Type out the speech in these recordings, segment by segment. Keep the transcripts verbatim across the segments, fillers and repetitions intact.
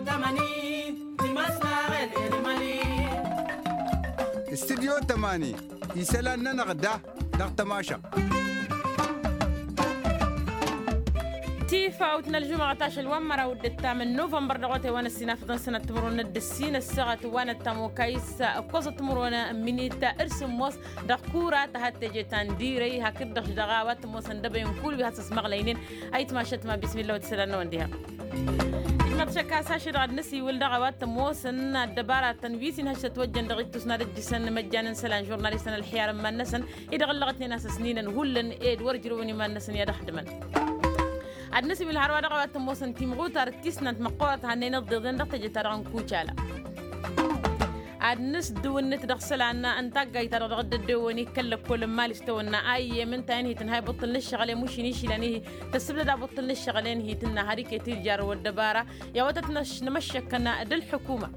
Tămani timăsnaɣel. Irmali. Studyo tămani isălan-nănăɣ da dăɣ-tămašăɣt. Tifawt n-ălžumăɣăt ašăl wa n-măraw d-ǝttam n-novămbăr dăɣ-otay wa n-ăssinafăḍăn sănăt timǝrwen d-ǝssin ăssaɣăt wa n-ăttam okayǝs ǝkkoẓăt timǝrwen n-minit d-sǝmmos dăɣ-kura ta had teje ta n-dirăy hakd-dăɣ dăɣ-a-wa t-ămoosăn dăbăyăn kull wi hasăsmăɣlăynen. Ayǝtmašăt ma bismilla wa t-isălan-năwăn diha. Ijmăḍ šăkkas ašăl dăɣ-ad-năsiwǝl dăɣ-a-wa t-ămoosăn ăddăbaratăn wi s-inhăš tătwăjjăn dăɣ-ittus n-ad-ǝjjǝsăn imăjjan n-isălan žurnalistăn ălxiyar n-iman-năsăn-i-dăɣ ǝllăɣătnen a-s ăsninăn hullan ed wăr ǝjrăwăn iman-năsăn i-ad-ăxdǝmăn. Ad-năsiwǝl hărwa dăɣ-a-wa t-ămoosăn timɣutar d-tisnant măqqoorăt hannăyăn ǝḍḍeḍen dăɣ-teje-ta-dăɣ n-kucala. Ad-nǝsdǝwǝnnǝt dăɣ-isălan n-taggayt-ta-dăɣ dăɣ-dd-ăddewăn i-kăl-lăkkol n-imali s-tawănna a iyyem ǝnta-en hi-tǝnhay buṭṭǝl n-ǝššăɣǝl i-mušin išilăn-i-hi tăssǝbdăd abǝṭṭǝl n-ǝššăɣǝl-en hi-tǝnna har iket-dd jarrăw ăddăbara. I-a-wa tăt-nămăššăkkăn d-ălḥukuma.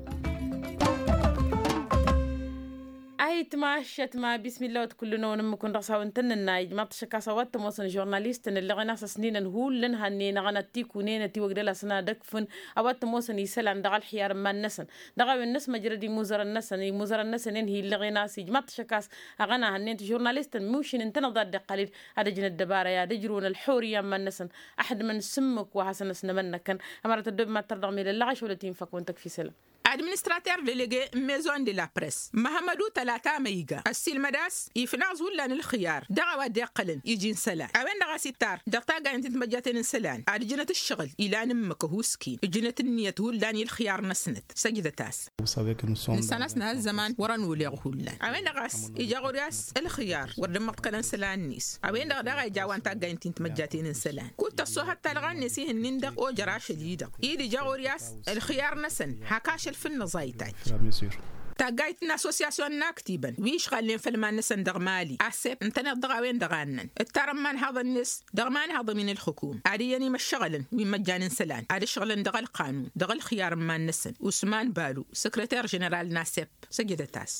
Ayǝtmašăt ma bismilla wa t-kull-năwăn ǝmmǝk-wăn dăɣ-s hawăn-tăn-nǝnna ijmaḍ-t ašăk a-s a-wa t-ămoosăn žurnalistăn ǝllăɣen a-s ăsninăn hullan hannăyăn aɣăna t-ikunen ătiwăgdăl-asăn ad-ăkfǝn a-wa t-ămoosăn isălan dăɣ-ălxiyar n-iman-năsăn. Dăɣ-a-wen năsmăjrăd imuzărăn-năsăn imuzărăn-năsăn-en hi-ǝllăɣen a-s ijmaḍ-t ašăk a-s aɣăna hannăyăn-t žurnalistăn mušin ǝntăneḍ ad-dd-iqqal-dd ad-ăjnăt dăbara i-ad-ăjrǝwăn ălxurǝyya n-iman-năsăn. Ăḥdǝmăn s-ǝmmǝk wa hasăn-ăsnămănnăkăn. Ămăra tăddob mad-tărdăɣ melăllăɣ ašăl wăla t-infăk wăn tăkf isălan. Administrater delege n-maison de la press măhămmădu tălata măyga ăssiilmăd a-s ifnaẓ hullan ǝlxǝyar dăɣ-a-wa dd-iqqălăn iji n-isălan a-wen-dăɣ a-s ittar dăɣ-taggayăn ti n-timăjjaten n-isălan ad-ǝjnăt ǝššăɣǝl ilan ǝmmǝk ăhuusken ǝjnăt ǝnniyăt hullan i-ǝlxǝyar-năsnăt. Săjdăt-as. Nǝssan a-s nǝha ăzzăman wăr-ănulleɣ hullan a-wen-dăɣ a-s ija ɣur-i a-s ǝlxǝyar wăr dd-ǝmmăḍkălăn isălan-net. A-wen-dăɣ daɣ a ija a-wa n-taggayăn ti n-timăjjaten n-isălan kud tăṣṣohăt talɣa-net ihǝnnin-dăɣ ojăr ašăl-i-dăɣ i-dd ija ɣur-i a-s ǝlxǝyar-năsăn hak ašăl făll-năẓayt a ija. Taggayt n-assosyasyon n-aktibăn wi ǝšɣalnen făll-iman-năsăn dăɣ-mali asep ǝntăneḍ dăɣ-a-wen-dăɣ a ǝnnăn ǝttarăn imanhaḍăn-net dăɣ-imanhaḍăn wi n-ǝlxǝkum ad-iyyăn imăššăɣǝlăn wi n-imăjjan n-isălan ad-ǝšɣǝlăn dăɣ-ălqanun dăɣ-ălxǝyar n-iman-năsăn usman balu săkrăter ženeral n-asep. Săjdăt-as.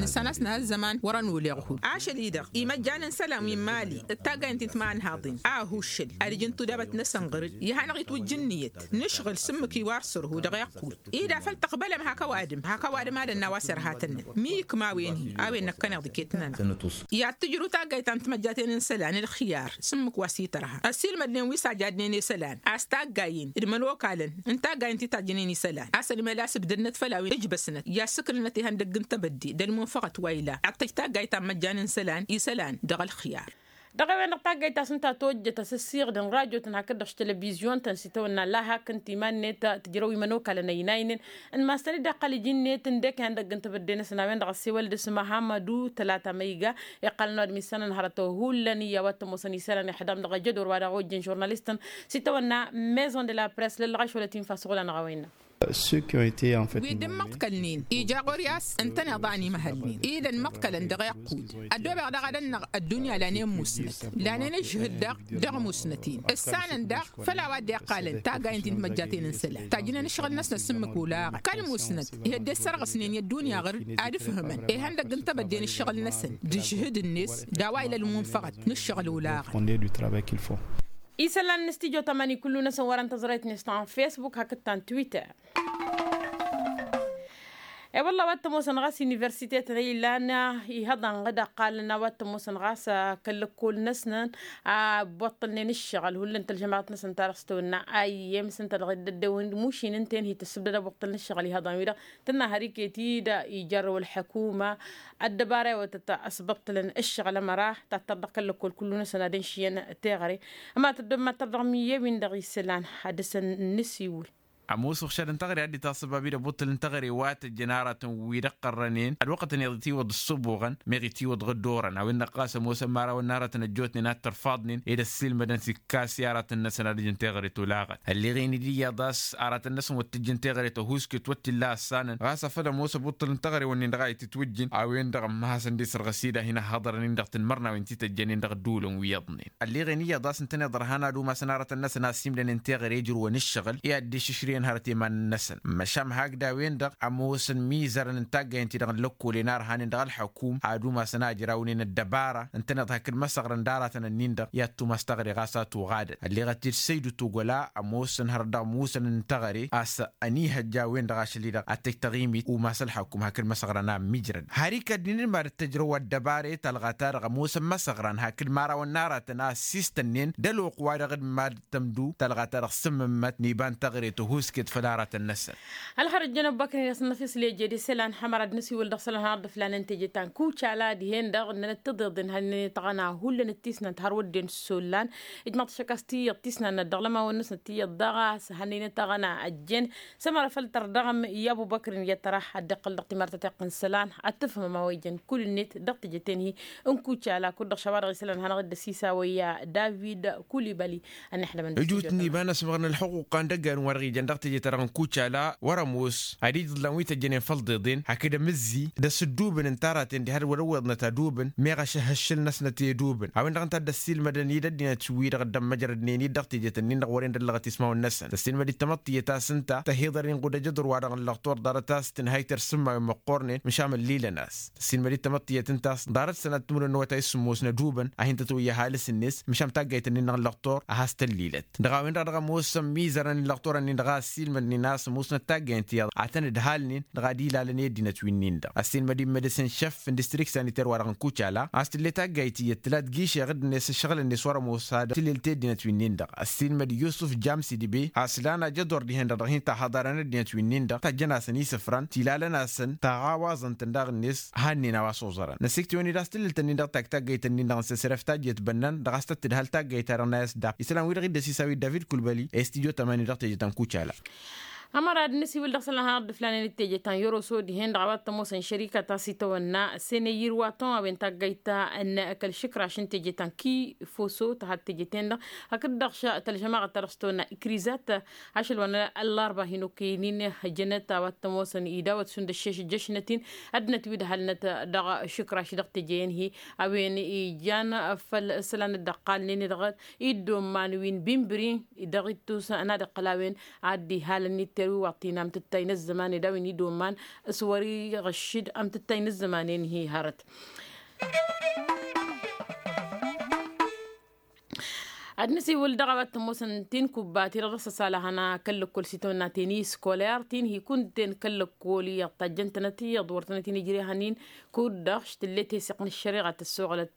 Nǝssan a-s nǝha ăzzăman wăr-ănulleɣ hul ašăl-i-dăɣ imăjjan n-isălan wi n-mali d-taggayăn ti n-timanhaḍin a ăhuššăl ad-ǝjǝn tudabăt-năsăn ɣăr-dd ihănăɣ-itwǝjj ǝnniyăt nǝšɣǝl s-ǝmmǝk i-wa ărsărhu dăɣ-iqqud ida făl tăqbălăm hak ăwadǝm hak ăwadǝm ad-ănn a-wa s-irha tănnăn mi ikma a-wen-hi a-wen năkkăneḍ iket-nănăɣ. I-ad-tǝjrǝw taggayt ta n-timăjjaten n-isălan ǝlxǝyar s-ǝmmǝk wa s-itărha ăssiilmădnen wi s-ajadnen i-isălan a-s taggayen d-imănokalăn n-taggayen ti tajjǝnen isălan a-s ănmăl a-s ǝbdădnăt făll-a-wen ǝjbăsnăt i-ad-sǝknǝnăt ihăndăgg n-tebădde d-ălmunfăɣăt wa ila ad-tăj taggayt ta n-imăjjan n-isălan isălan dăɣ-ălxǝyar. Dăɣ-a-wen-dăɣ taggayt ta s-ǝnta a tojjăt asǝssiɣdǝn rajotăn hakd-dăɣ s-telăvizyuntăn s-itawănna laha hakd n-timannet tǝjrăw imănokalăn ăynaynen n-mastăn-dd iqqăl iji-net ǝndek ihăndăgg n-tebădde-năsăn a-wen-dăɣ ăssewăl dăɣ-s măhammădu tălata măyga iqqălăn wa d-missănăn hărăt hullan i-a-wa t-ămoosăn isălan ixdam dăɣ-ajădor wa dăɣ-ojjăn žurnalistăn s-itawănna maison de la press lăllăɣ ašwălăt infa s-oɣlan ɣawăyna. Wi dd-ǝmmăḍkălnen ija ɣur-i a-s ǝntăneḍ a ănimăhălnen ida ănmăḍkălăn dăɣ-iqqud ăddoobeɣ daɣ ad-ănnăɣ ăddunya lanen musnăt lanen ǝžhǝd-dăɣ dăɣ-musnăt-in ǝssanăn daɣ făll-a-wa dd-iqqalăn taggayen ti n-timăjjaten n-isălan tajjǝnen ǝššăɣǝl-năsnăt s-ǝmmǝk olaɣăn kăl-musnăt ihădde ǝssărɣǝsnen i-ăddunya ɣăr-dd ad-ǝfhǝmăn ihăndăgg n-tebădde n-ǝššăɣǝl-năsăn d-ažhǝd-net d-a-wa ila ălmunfăɣăt n-ǝššăɣǝl olaɣăn. Isălan n-studyo tămani kullu-năsăn wărăn tăẓrayt-net ta n-facebook hakd ta n-twitter. E-wălla a-wa t-ămoosăn ɣas universitetăn ilan ihăḍăn ɣǝd ăqqalăn a-wa t-ămoosăn ɣas kăl-lăkkol-năsnăn a ăbbuṭṭălnen ǝššăɣǝl hullan tălžămaɣăt-năsăn ta dăɣ-s tăwănna a iyyem s-ǝnta dăɣ-dd-ăddewăn mušin ǝnta-en hi-tăssǝbdăd abuṭṭăl n-ǝššăɣǝl ihăḍăn-wi-dăɣ tǝnna har iket-dd ijarrăw ălḥăkuma ăddăbara i-wătăt ăsbăṭṭălăn ǝššăɣǝl ămăra tattăr dăɣ-kăl-lăkkol kullu-năsăn ad-ǝnšǝyăn teɣăre. Ămăra tăddob mad-tărdăɣ mi-e-win-dăɣ isălan ad-dăr-săn n-nǝsiwǝl. Ămoos uɣšad n-teɣăre a dd-itassăbab-dd abuṭṭăl n-teɣăre wa tăjjăn aratăn wi d-ăqqărrănen ălwăqqăt-net itiwǝḍ ǝssǝbuɣăn meɣ itiwǝḍ ɣǝddorăn a-wen-dăɣ ɣas ămoosăn imărawăn n-aratăn ăjjootnen ad-tărfaḍnen ed ăssiilmădăn s-ikkas i-aratăn-năsăn ad-ǝjǝn teɣăre tolaɣăt ălleɣen-dd iyyăḍ a-s aratăn-năsăn wăr t-ǝjjǝn teɣăre tăhuusket wăr t-illa ăssanăn ɣas afăl ămoos abuṭṭăl n-teɣăre-wǝnnin-dăɣ a itǝtwǝjjǝn a-wen-dăɣ ămmăhasăn dăr-s ărɣǝs-i-dd a hin-ăhhăḍărăn-in dăɣ-tanmărnawen ti tăjjănen dăɣ-ădduulăn wi iyyăḍnen. Ălleɣen iyyăḍ a-s ǝntăneḍ ărhan ad-umasăn aratăn-năsăn a ăssiimdănen teɣăre ijrǝwăn ǝššăɣǝl i-ad-dd-išǝšrǝyăn. hărăt i-iman-năsăn. Măšan hakd a-wen-dăɣ ămoosăn mizărăn n-taggayăn-ti-dăɣ n-lăkkolen a ărhanen dăɣ-ălḥăkum ad-umasăn a ǝjrawnen ăddăbara ǝntăneḍ hakd măsăɣrăn d-aratăn-ǝnnin-dăɣ i-ad-tumas taɣre ɣas a tuɣadăt ălleɣăt-dd săydu togăla ămoosăn hărăt dăɣ-musăn n-teɣăre a-s ănihăjja a-wen-dăɣ ašăl-i-dăɣ ad-t-ăj taɣimit umas ălḥăkum hakd măsăɣrăn a ămmijrăd har ikădd-in d-mad-ăttăjrăw ăddăbare talɣa-ta-dăɣ ămoosăn măsăɣrăn hakd imărawăn n-aratăn a ăssiistănnen d-ălwăqq-wa-dăɣ d-mad-tămdu talɣa-ta-dăɣ s-ǝmmǝmmăt n-iba n-taɣre tăhusket făll-aratăn-năsăn. Ălxărăt jăn ăbbăknen i-asǝnnăf isle jede isălan hămăra d-nǝsiwǝl dăɣ-isălan har dd-ǝflanen teje ta n-kucala dihen-dăɣ ǝnnăn ăttăḍeḍen hannăyăt aɣăna hullan ǝttisnant har wădden s-ollan ijmăḍ-t šăkkas tiyyăḍ tisnannăt dăɣ-lămawăn-năsnăt tiyyăḍ daɣ a-s hannăynăt aɣăna ăjjeen. Sămărăfăl tărdăɣăm i-abubăkr n-iyyăt tăra ad-dd-iqqǝl dăɣ-timartăt iqqǝn isălan ad-tǝfhǝmăm a-wa ijăn kull-net dăɣ-teje-ten-hi n-kucala kud-dăɣ šawa-dăɣ isălan hanăɣ-dd-ăsisawăyya david kulibali. Ănixdămăn ǝjut n-iba n-asmăɣ n-ălxuqquq n-dăggan wa-dăɣ ijăn dăɣ-teje-ta-dăɣ n-kucala wăr-ămoos ad-ija iḍlan wi tăjjănen făll-iḍeḍen hakd amǝzzi d-asǝddubǝn n-taraten diha d-wăr-ăwweḍnăt adubǝn meɣ ašăhhǝššǝl-năsnăt i-adubǝn a-wen-dăɣ ǝnta dd-ăssiilmădăn-dd ăddinăt wi-dăɣ dd-ămmăjrădnen-dd dăɣ-teje-tăn-in-dăɣ wăren d-ăllăɣăt ismawăn-năsăn tăssiilmăd-dd tamăḍt tiyyăt a-s ǝnta tăhiḍăr-in ɣud ajăḍur-wa-dăɣ n-lăɣtor ḍarăt a-s tǝnhăy tersa n-imawen măqqornen măšan ăllilăn-as. Tăssiilmăd-dd tamăḍt tiyyăt ǝnta a-s ḍarăt sănat timǝrwen n-awătay s-sǝmmos n-adubǝn a hin-tătwăyya ăhalǝs-net măšan taggayt-nin-dăɣ n-lăɣtor a has-tăllilăt dăɣ-a-wen-dăɣ dăɣ-ămoosăn imizărăn n-lăɣtor-nin dăɣ-a ăssiilmădnen a-s ămoosnăt taggayt tiyyăḍ ad-tăn-ǝdhalnen dăɣ-ad-ilalăn i-ăddinăt wi-nin-dăɣ ăssiilmăd-in medăsen šăff n-distrikt saniter-wa-dăɣ n-kucala a-s tǝlle taggayt tiyyăt tǝlat gišeɣ-dd-net ǝššăɣǝl-net wăr-ămoos ad-tǝlelt i-ăddinăt wi-nin-dăɣ ăssiilmăd yusǝf jamsi dibe a-s lan ajăḍor dihen-dăɣ dăɣ-hin-tahăḍarăn ăddinăt wi-nin-dăɣ tajjăn-asăn isǝfran tilalăn-asăn taɣawaẓăn-tăn daɣ-net. Hannen a-wa s-oẓărăn năsiktǝwăn-dd a-s tǝllǝlt-ǝnnin-dăɣ tak taggayt-ǝnnin-dăɣ n-săsref tajjăt bănnan dăɣ-a-s tăt-tǝdhăl taggayt-ta-dăɣ n-a i-s dd-af isălan-wi-dăɣ dd-ăsisawit david kulbăli i-studyo tămani dăɣ-teje ta n-kucala. Ămăra d-nǝsiwǝl dăɣ-isălan hanăɣ-dd-ǝflanen d-teje ta n-yoroso dihen-dăɣ a-wa t-ămoosăn šărikăt a-s itawănna sene yirwa tăwăwen taggayt ta n-kăl-išǝkraš n-teje ta n-kifoso tăha d-teje-ten-dăɣ hakd-dăɣ tălžămaɣăt ta dăɣ-s tăwănna ikrizat. Ašăl wa n-ăllarba hin-okăyăn-in hăjănăt a-wa t-ămoosăn idawăt šund ăššeš ǝjjăšnăt-in ăddinăt wi dd-halnăt dăɣ-išǝkraš dăɣ-teje-en-hi a-wen ijan făll-isălan dd-ăqqalnen-i-dăɣ iddomman wi n-bimbri dăɣ-ittus n-ad-iqqăl a-wen ad-dd-ihalăn itter wi wa t-in-amtǝttay n-ăzzăman ed a-wen iddomman s-wăr-iɣăššǝd amtǝttay n-ăzzăman-en-hi hărăt. Ad-nǝsiwǝl dăɣ-a-wa t-ămoosăn tinkubba-ti-dăɣ dăɣ-s ăsalăhăn kăl-lăkkol s-itawănna teni scoler ti n-hi kunten kăl-lăkkol iyyăḍ tajjăn-tănăt iyyăḍ wăr tănăt-in-ijre hănin. Kud-dăɣ š-tǝlle teseɣt n-ăššăreɣa tăssoɣlăt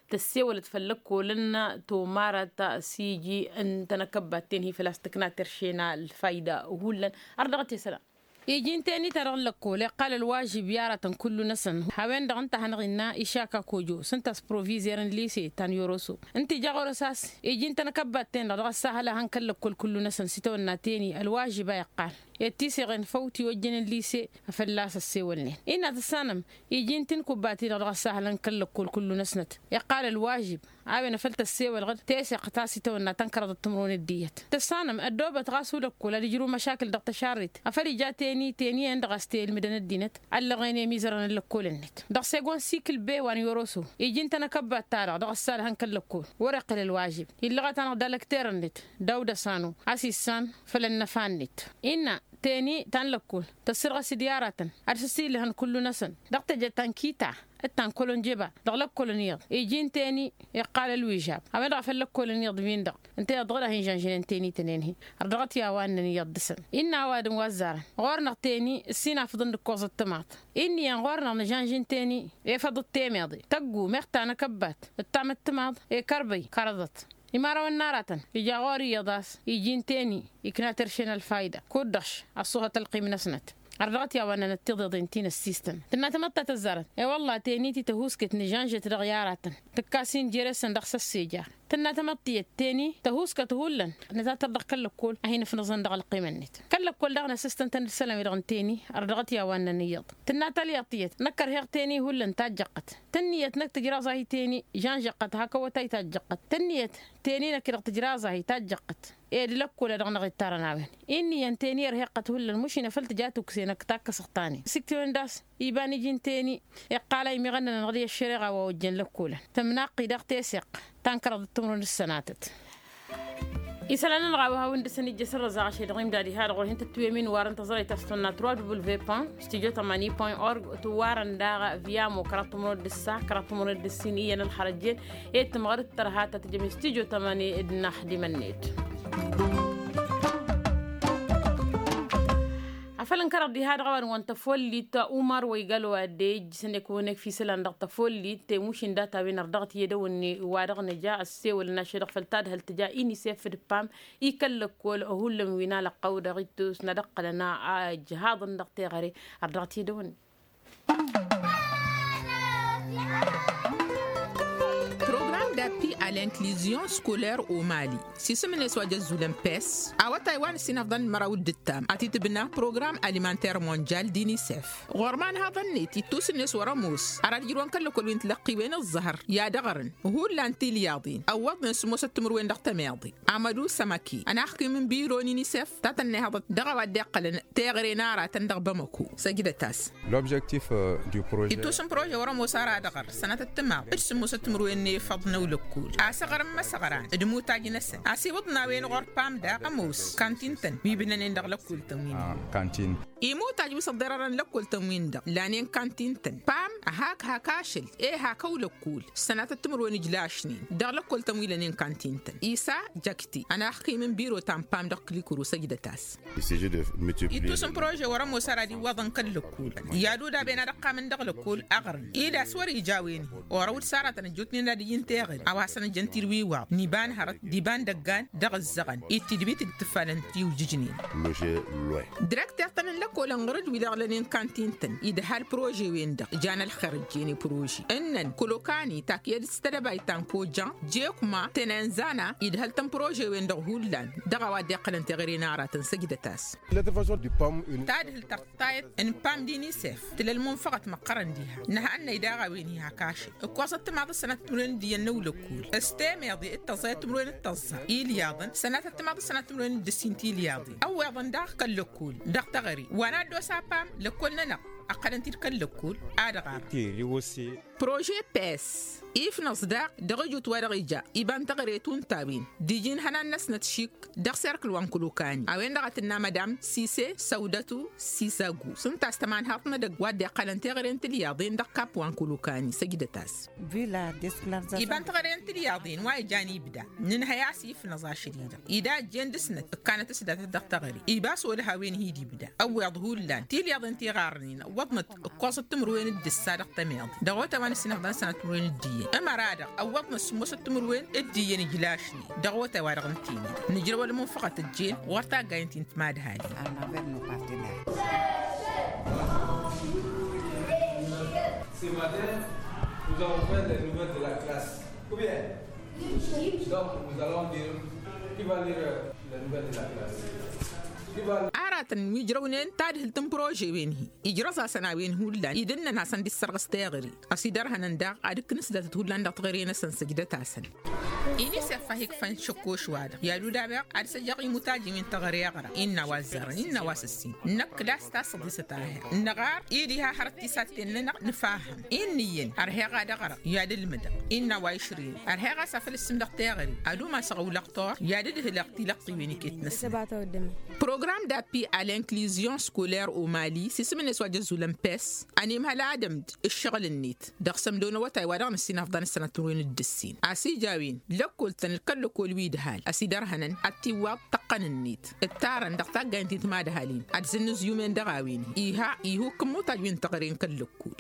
tăssewălăt făll-lăkkolăn tomarăt s-iji n-tănăkăbbat-ten-hi făl-a-s tǝkna terše n-a ălfayda hullan. Ărdăɣăt i-isălan iji n-teni-ta-dăɣ n-lăkkol iqqal ălwažib i-aratăn kullu-năsăn. A-wen-dăɣ ǝnta a hanăɣ-innă išaka kojo s-ǝnta a-s provizer n-lise ta n-yoroso ǝnta ija ɣur-s a-s iji n-tănăkăbbat-ten-dăɣ dăɣ-ăssahăl a han kăl-lăkkol kullu-năsăn s-itawănna teni ălwažib a iqqal. Ed tiseɣen făw tiwăjjen n-lise a fălla-s ăssewălnen innă tǝssanăm iji n-tinkubba-ti-dăɣ dăɣ-ăssahălăn kăl-lăkkol kullu-năsnăt. Iqqal ălwažib a-wen a făl tăssewălăɣ-dd teseɣt ta s-itawănna tănkărăḍăt timǝrwen d-iyyăt. Tǝssanăm ăddoobăt ɣas ulăkkol ad-ǝjrǝw măšakǝl dăɣ-tăšarret a făl ija teni teni-en-dăɣ a-s tǝlmǝdăn ăddinăt. Ăllăɣen i-imizărăn n-lăkkolăn-net dăɣ-segon sikǝl bewa n-yoroso iji n-tănăkăbbat-ta-dăɣ dăɣ-ăssalăhăn kăl-lăkkol wăr-iqqǝl ălwažib. Illăɣăt-anăɣ d-alăkter-net dawda sanu a-s issan făll-ănnăfa-net innă teni ta n-lăkkol tăssărɣăs-dd i-aratăn ad-săsillăhăn kullu-năsăn dăɣ-teje ta n-kita d-ta n-kălonjeba dăɣ-lăkkolăn iyyăḍ iji n-teni iqqal ălwižab a-wen-dăɣ a făl lăkkolăn iyyăḍ-win-dăɣ ǝnta iyyăḍ dăɣ-dd-ahinžănžănen teni-tăn-en-hi. Ărdăɣăt i-a-wa ǝnnăn iyyăḍ dăɣ-săn innă ăwadǝm wa ăzzarăn ɣur-năɣ teni ǝssin afǝḍăn d-ǝkkoẓăt timaḍ. Inn'-iyyăn ɣur-năɣ nǝžănžǝn teni efăḍăt temeḍe tăggu meɣ tanăkăbbat d-tamǝttǝmaḍ ekărbăy kărăḍăt. Imărawăn n-aratăn ija ɣur-iyyăḍ a-s iji n-teni ikna terše n-ălfayda kud-dăɣ š-ăṣṣuhăt ălqim-năsnăt. Ărdăɣăt i-a-wa ǝnnănăt tiḍeḍen ti n-ăssistăn tǝnna tamăḍt ta tăzzarăn. I-wălla teni ti tăhusket nǝžănžăt dăɣ-i aratăn tǝkkas-in jere-săn dăɣ-s ăssijar. Tǝnna tamăḍt tiyyăt teni tăhuskăt hullan nǝtatăr dăɣ-kăl-lăkkol a hin-ǝfnǝẓăn dăɣ-ălqimăn-net. Kăl-lăkkol daɣ năsǝstăn-tăn d-isălan-wi-dăɣ n-teni. Ărdăɣăt i-a-wa ǝnnăn iyyăḍ tǝnna talyaḍt tiyyăt năkk ărheɣ teni hullan tajjăqqăt. Tǝnniyăt năkk tǝjraẓ-ahi teni žănžăqqăt hak awătay tajjăqqăt tǝnniyăt teni năkk-dăɣ tǝjraẓ-ahi tajjăqqăt. Ed lăkkol a dăɣ-năɣ-ittarăn a-wen. Inn'-iyyăn teni ărheɣ-tăt hullan mušin a făl tǝja tukse năkk takkăsăɣ-t-anen s-iktǝwăn d-a-s iba n-iji n-teni. Iqqal a imiɣănnăn ănɣăd i-ăššăreɣa wa ojjăn lăkkolăn tămnaqqi daɣ teseɣt ta n-kăraḍăt timǝrwen d-sănatăt. Isălan-nănăɣ a-wa hawăn-dăɣ-săn ijjăsăn răzaɣ ašăl dăɣ-imdad iha-dăɣ wăr hin-tătwǝyăm-in warăn tăẓrăyt a-s tănna trois w point org, studio tămani point org. Tǝwwarăn daɣ via mokra tumrăd d-ǝssa kra tumrăd d-ǝssin iyyăn ălxărăjjen. Ed tǝmɣăr d-tărha ta tǝjăm i-studio tămani d-naxdimăn-net. Afăl ǝnkărăɣ diha-dăɣ a-wa dăɣ-wăn tăfollit umar wa igal wa dd-ejjǝsăn i-kăwăn-ek fisălan dăɣ-tăfollit temušin data-wen ărdăɣăt i-edăwănne wa dăɣ-nǝja ăssewălăn ašăl dăɣ-făll-tadhǝlt tǝja inisef d-pam i-kăl-lăkkol hullan wi n-alăqqăw dăɣ-ittus n-ad-ǝqqǝlăn a ǝjhaḍăn dăɣ-teɣăre. Ărdăɣăt i-edăwănne. Program d-appi a l'inklizion scoler o mali sisǝm-net wa jăzzulăn pes awătay wa n-ǝssinăfḍăn n-măraw d-ǝttam ad-t-tǝbna program alimanter monjal d-inisef. Ɣur-imanhaḍăn-net ittus-net wăr-ămoos ara d-ijrǝwăn kăl-lăkkol wi n-tilăqqiwen ǝẓẓăhăr i-ad-ăɣrǝn hullan tilyaḍin ăwwăḍnen sǝmmosăt timǝrwen dăɣ-tămeḍe. Amădu sămăki ănaxkim n-biro n-inisef ta tănnehăḍăt dăɣ-a-wa dd-iqqălăn teɣăre n-aratăn dăɣ-bamăko. Săjdăt-as. Ittus n-prože wăr-ămoos ara ad-ăɣăr sănatăt timaḍ d-sǝmmosăt timǝrwen n-efăḍ n-ăwlăkkul a-s ăɣrǝm imăsăɣran d-imutaj-năsăn a-s iwǝḍnawăn ɣur-pam daɣ ămoos kantin-tăn wi bǝnănen dăɣ-lăkkul-tăn wi n-ǝnnin. Imutaj wi s-ăḍḍerărăn lăkkol-tăn-win-dăɣ lanen kantin-tăn pam hak-hak ašăl e hak ăwlăkkul sănatăt timǝrwen ǝjlašnen dăɣ-lăkkol-tăn wi lănen kantin-tăn isa jakti ănaxkim n-biro ta n-pam dăɣ-klikuru săjdăt-as. Ittus n-prože wăr-ămoos ara d-iwwaḍăn kăl-lăkkol i-ad-udaben ad-ăqqamăn dăɣ-lăkkol ăɣrǝn-dd a-s wăr-ija a-wen orăw d-saratăn ăjjootnen ad-ǝjǝn teɣăre a-wa hasăn-ăjjăn tirwiwaḍ n-iba n-hărăt d-iba n-dăggan dăɣ-ǝzzăɣăn i-tidbit d-tǝffalăn tiwjǝjnen. Direkter-tăn n-lăkol ănɣăr-dd wi-dăɣ lănen kantin-tăn idhal prože-wen-dăɣ jan ălxer ǝjjen i-prože ǝnnăn kălokani takyed s-tedăbayt ta n-kojan jekma tenenzana idhăl-tăn prože-wen-dăɣ hullan dăɣ-a-wa dd-iqqălăn teɣăre n-aratăn săjdăt-as. Tadhǝlt tăɣ tayăt n-pam d-inisef tǝla ălmunfăɣăt măqqărăn diha nǝhannăy daɣ a-wen-hi hak ašăl ǝkkoẓăt timaḍ d-sănatăt timǝrwen d-iyyăn n-ăwlăkkul s-temeḍe d-tăẓẓayăt timǝrwen d-tăẓẓa ilyaḍăn sănatăt timaḍ d-sănatăt timǝrwen d-ǝssin tilyaḍen ăwweḍăn daɣ kăl-lăkkul dăɣ-teɣăre wa n-ad-dd-osa pam lăkkol-nănăɣ ăqqălăn-t-dd kăl-lăkkul. Ad-ɣar prože pes ifnăẓ daɣ dăɣ-ijut wa dăɣ-ija iba n-teɣăre tunta-win d-iji n-ihănan-năsnăt šik dăɣ-serkǝl wa n-kălokani a-wen-dăɣ a tǝnna madam sise săwdătu sisagu s-ǝnta a-s tămanhaḍt n-edăgg wa dd-iqqălăn teɣăre n-tilyaḍen dăɣ-kap wa n-kălokani săjdăt-as. Iba n-teɣăre n-tilyaḍen wa ijan ibda nǝnhăy a-s ifnăẓ ašăl-i-dăɣ ida ăjjeen dăɣ-snăt ǝkkanăt s-datăt dăɣ-teɣăre iba s-olăh a-wen-hi d-ibda ăwweḍ hullan tilyaḍen ti ɣarrănen ăwwăḍnăt ǝkkoẓăt timǝrwen d-ǝssa dăɣ-tămeḍe dăɣ-otay wa n-ǝssinăfḍan sănat timǝrwen d-iyyăn ămăra-dăɣ ăwwăḍnăt sǝmmosăt timǝrwen d-iyyăn ǝjlašnen dăɣ-otay wa dăɣ-nǝtinen nǝjrăw ălmunfăɣăt ăjjeen ɣur-taggayen ti n-timadhalin. Ce matin, nous avons fait les nouvelles de la classe. Ou bien? Donc, nous allons dire qui va lire les nouvelles de la classe. Qui va... Aratăn wi ǝjrăwnen tadhǝlt n-prože-wen-hi ijrăẓ-asăn a-wen hullan idǝnnăn hasăn-dd-issărɣǝs teɣăre a-s idărhănăn daɣ ad-ǝkkǝn s-datăt hullan dăɣ-teɣăre-năsăn săjdăt-asăn. Inisef a hi-ikfăn šăkkoš-wa-dăɣ i-ad-udabeɣ ad-săjjăɣ imutajen wi n-teɣăre aɣrăɣ innă a-wa ăzzarăn innă a-wa s-ǝssin năkk d-a-s tasăḍisăt a ăhhăɣ năɣar i-diha hărăt tisatten-nănăɣ nǝfahhăm. Inn'-iyyăn ărheɣ ad-ăɣrăɣ i-ad-ǝlmǝdăɣ innă a-wa išrǝyăn ărheɣ a-s afăl ǝssǝmdăɣ teɣăre ad-umasăɣ ăwlăɣ tor i-ad-ǝdhǝlăɣ tilăqqǝywen iket-năsăn. Program d-appi a l'inklizion scoler o mali sisǝm-net wa jăzzulăn pes ănimhăl adǝm-dd ǝššăɣǝl-net dăɣ-sămdo n-awătay wa dăɣ-nǝssin afḍăn ăssănat timǝrwen d-ǝssin a-s ija a-wen lăkkol-tăn d-kăl-lăkkol wi ǝdhal a-s idărhănăn ad-t-iwwaḍ tăqqăn-net ǝttarăn dăɣ-taggayen ti n-timadhalin ad-zǝnnǝzǝyumen dăɣ-a-wen iha ihukk n-imutaj wi n-teɣăre n-kăl-lăkkol.